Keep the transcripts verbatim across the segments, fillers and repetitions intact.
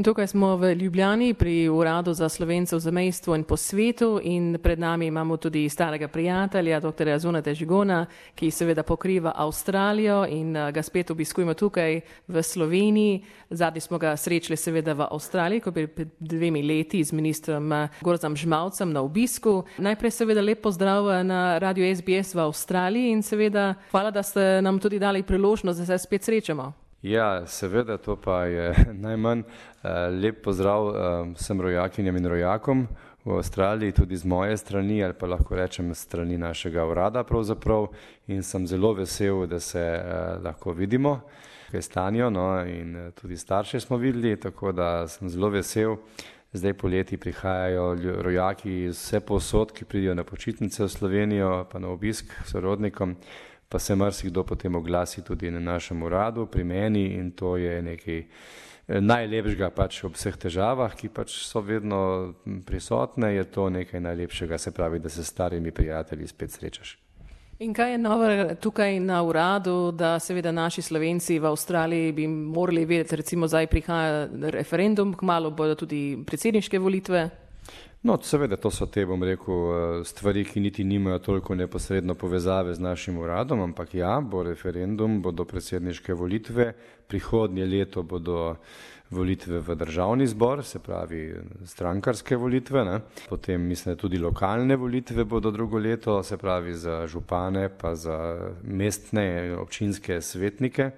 Tukaj smo v Ljubljani pri Uradu za Slovence v zamejstvu in po svetu in pred nami imamo tudi starega prijatelja, doktorja Zuneta Žigona, ki seveda pokriva Avstralijo in ga spet obiskujemo tukaj v Sloveniji. Zadnji smo ga srečali seveda v Avstraliji, ko bi pred dvemi leti z ministrom Gorazom Žmavcem na obisku. Najprej seveda lep pozdrav na Radio S B S v Avstraliji in seveda hvala, da ste nam tudi dali priložnost, da se spet srečamo. Ja, seveda, to pa je najmanj. Lep pozdrav vsem rojakinjem in rojakom v Avstraliji, tudi z moje strani, ali pa lahko rečem strani našega urada pravzaprav. In sem zelo vesel, da se lahko vidimo, kaj stanijo, no, in tudi starše smo videli, tako da sem zelo vesel. Zdaj poleti prihajajo rojaki iz vse povsod, ki pridijo na počitnice v Slovenijo, pa na obisk sorodnikom. Pa se marsikdo potem oglasi tudi na našem uradu, pri meni, in to je nekaj najlepšega pač ob vseh težavah, ki pač so vedno prisotne, je to nekaj najlepšega, se pravi, da se s starimi prijatelji spet srečaš. In kaj je novo tukaj na uradu, da seveda naši Slovenci v Avstraliji bi morali vedeti, recimo zdaj prihaja referendum, kmalu bodo tudi predsedniške volitve? No, seveda, to so te, bom rekel, stvari, ki niti nimajo toliko neposredno povezave z našim uradom, ampak ja, bo referendum, bodo predsedniške volitve, prihodnje leto bodo volitve v državni zbor, se pravi strankarske volitve, ne? Potem mislim, da tudi lokalne volitve bodo drugo leto, se pravi za župane pa za mestne občinske svetnike.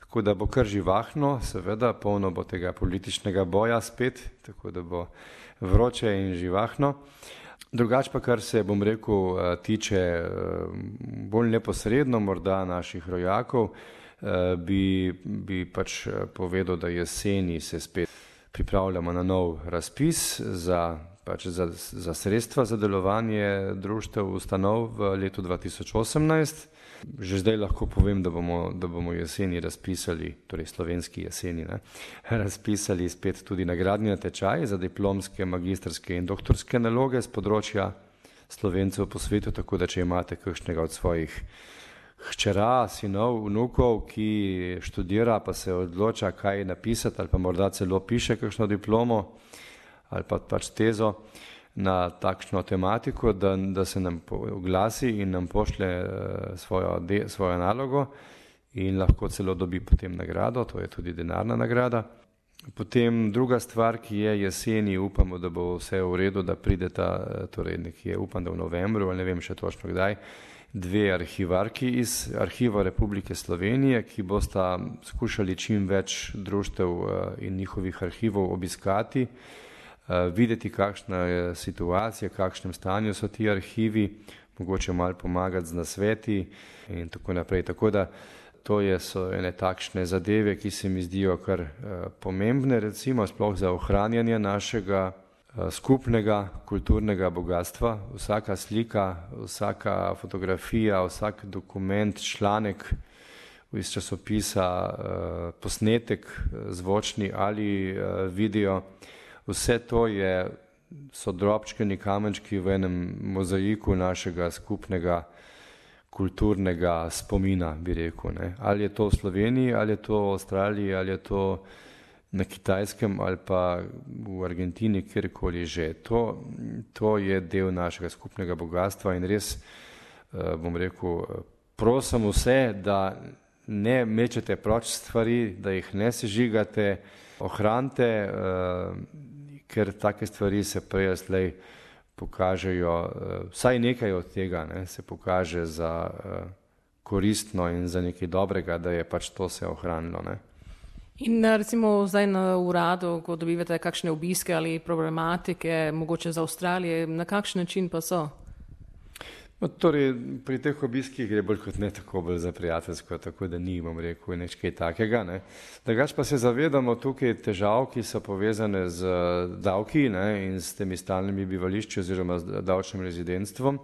Tako da bo kar živahno, seveda, polno bo tega političnega boja spet, tako da bo vroče in živahno. Drugač pa, kar se, bom rekel, tiče bolj neposredno morda naših rojakov, bi, bi pač povedal, da jeseni se spet pripravljamo na nov razpis za, pač za, za sredstva za delovanje društev ustanov v letu dva tisoč osemnajst. Že zdaj lahko povem, da bomo, da bomo jeseni razpisali, torej slovenski jeseni, ne, razpisali spet tudi nagradni natečaj za diplomske, magistrske in doktorske naloge z področja Slovencev po svetu, tako da če imate kakšnega od svojih hčera, sinov, vnukov, ki študira pa se odloča, kaj napisati ali pa morda celo piše kakšno diplomo ali pa pač tezo na takšno tematiko, da, da se nam oglasi in nam pošlje svojo, de, svojo nalogo in lahko celo dobi potem nagrado, to je tudi denarna nagrada. Potem druga stvar, ki je jeseni, upamo, da bo vse v redu, da prideta, torej nekje upam, da v novembru, ali ne vem še točno kdaj, dve arhivarki iz Arhiva Republike Slovenije, ki bosta skušali čim več društev in njihovih arhivov obiskati, videti, kakšna je situacija, v kakšnem stanju so ti arhivi, mogoče malo pomagati z nasveti in tako naprej. Tako da to je, so ene takšne zadeve, ki se mi zdijo kar pomembne, recimo sploh za ohranjanje našega skupnega kulturnega bogatstva. Vsaka slika, vsaka fotografija, vsak dokument, članek iz časopisa, posnetek zvočni ali video, vse to je, so drobčkani kamenčki v enem mozaiku našega skupnega kulturnega spomina, bi rekel, ne. Ali je to v Sloveniji, ali je to v Avstraliji, ali je to na Kitajskem ali pa v Argentini, kjerkoli že. To, to je del našega skupnega bogatstva in res, bom rekel, prosim vse, da ne mečete proč stvari, da jih ne sežigate, ohranite, ker take stvari se prej slej pokažejo, vsaj nekaj od tega, ne, se pokaže za koristno in za nekaj dobrega, da je pač to se ohranilo, ne. In recimo zdaj na uradu, ko dobivate kakšne obiske ali problematike, mogoče za Avstralije, na kakšen način pa so? No, torej, pri teh obiskih gre bolj kot ne tako bolj za prijateljsko, tako da ni, bom rekel, nič kaj takega, ne. Drugač pa se zavedamo tukaj težav, ki so povezane z davki, ne, in s temi stalnimi bivališči oziroma z davčnim rezidentstvom.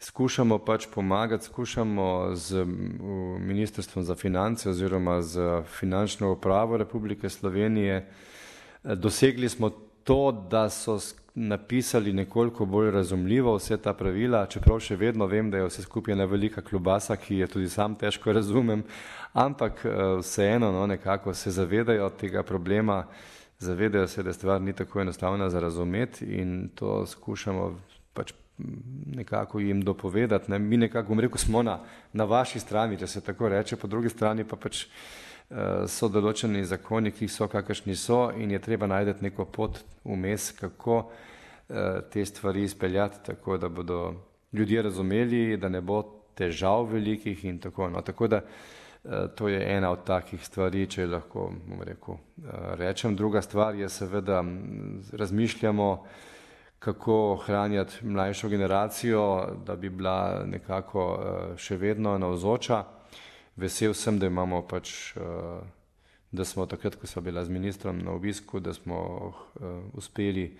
Skušamo pač pomagati, skušamo z Ministrstvom za finance oziroma z Finančno upravo Republike Slovenije. Dosegli smo to, da so napisali nekoliko bolj razumljivo vse ta pravila, čeprav še vedno vem, da je vse skupaj ena velika klobasa, ki je tudi sam težko razumem, ampak vseeno, no, nekako se zavedajo tega problema zavedajo se, da stvar ni tako enostavna za razumeti in to skušamo pač nekako jim dopovedati. Ne. Mi nekako, bom rekel, smo na, na vaši strani, če se tako reče, po drugi strani pa pač uh, so določeni zakoni, ki so kakršni so in je treba najti neko pot vmes, kako uh, te stvari izpeljati, tako da bodo ljudje razumeli, da ne bo težav velikih in tako. No. Tako da uh, to je ena od takih stvari, če lahko, bom rekel, uh, rečem. Druga stvar je seveda, razmišljamo, kako ohranjati mlajšo generacijo, da bi bila nekako še vedno navzoča. Vesel sem, da imamo pač, da smo takrat, ko smo bila z ministrom na obisku, da smo uspeli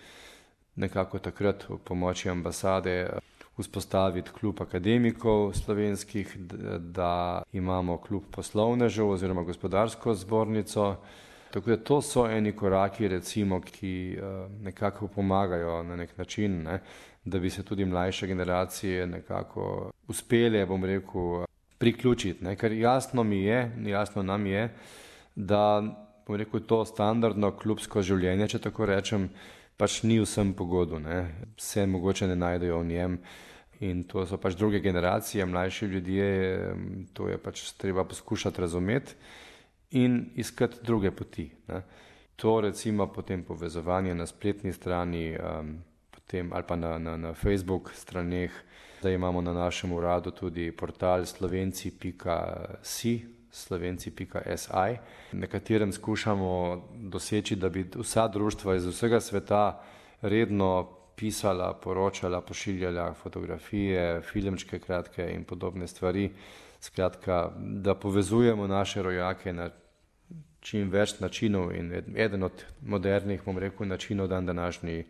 nekako takrat v pomoči ambasade vzpostaviti klub akademikov slovenskih, da imamo klub poslovnežev oziroma gospodarsko zbornico. Tako da to so eni koraki, recimo, ki nekako pomagajo na nek način, ne, da bi se tudi mlajše generacije nekako uspele, bom rekel, priključiti. Ne. Ker jasno mi je, jasno nam je, da, bom rekel, to standardno klubsko življenje, če tako rečem, pač ni vsem pogodu. Ne. Se mogoče ne najdejo v njem in to so pač druge generacije, mlajši ljudje, to je pač treba poskušati razumeti in iskati druge poti. Ne. To recimo potem povezovanje na spletni strani um, potem, ali pa na, na, na Facebook straneh, da imamo na našem uradu tudi portal slovenci pika si, slovenci pika si, na katerem skušamo doseči, da bi vsa društva iz vsega sveta redno pisala, poročala, pošiljala fotografije, filmčke kratke in podobne stvari. Skratka, da povezujemo naše rojake na čim več načinov in eden od modernih, bom rekel, načinov dan današnji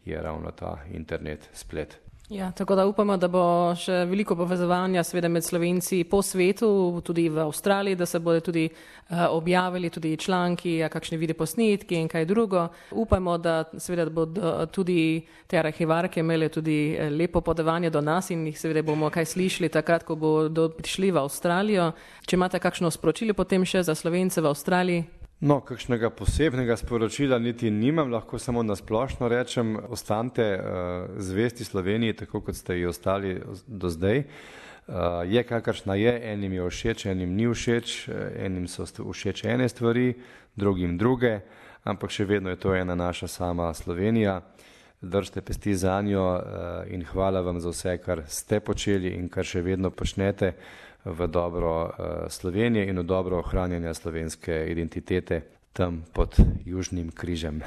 je ravno ta internet, splet. Ja, tako da upamo, da bo še veliko povezovanja seveda med Slovenci po svetu, tudi v Avstraliji, da se bodo tudi uh, objavili tudi članki, kakšne videoposnetki in kaj drugo. Upamo, da seveda bodo tudi te arhivarke imeli tudi lepo podavanje do nas in jih seveda bomo kaj slišali takrat, ko bodo prišli v Avstralijo. Če imate kakšno sporočilo potem še za Slovence v Avstraliji? No, kakšnega posebnega sporočila niti nimam, lahko samo nasplošno rečem, ostanite uh, zvesti Sloveniji, tako kot ste ji ostali do zdaj. Uh, je kakršna je, enim je všeč, enim ni všeč, enim so všeč ene stvari, drugim druge, ampak še vedno je to ena naša sama Slovenija. Držite pesti za njo uh, in hvala vam za vse, kar ste počeli in kar še vedno počnete v dobro uh, Slovenije in v dobro ohranjanja slovenske identitete tam pod Južnim križem.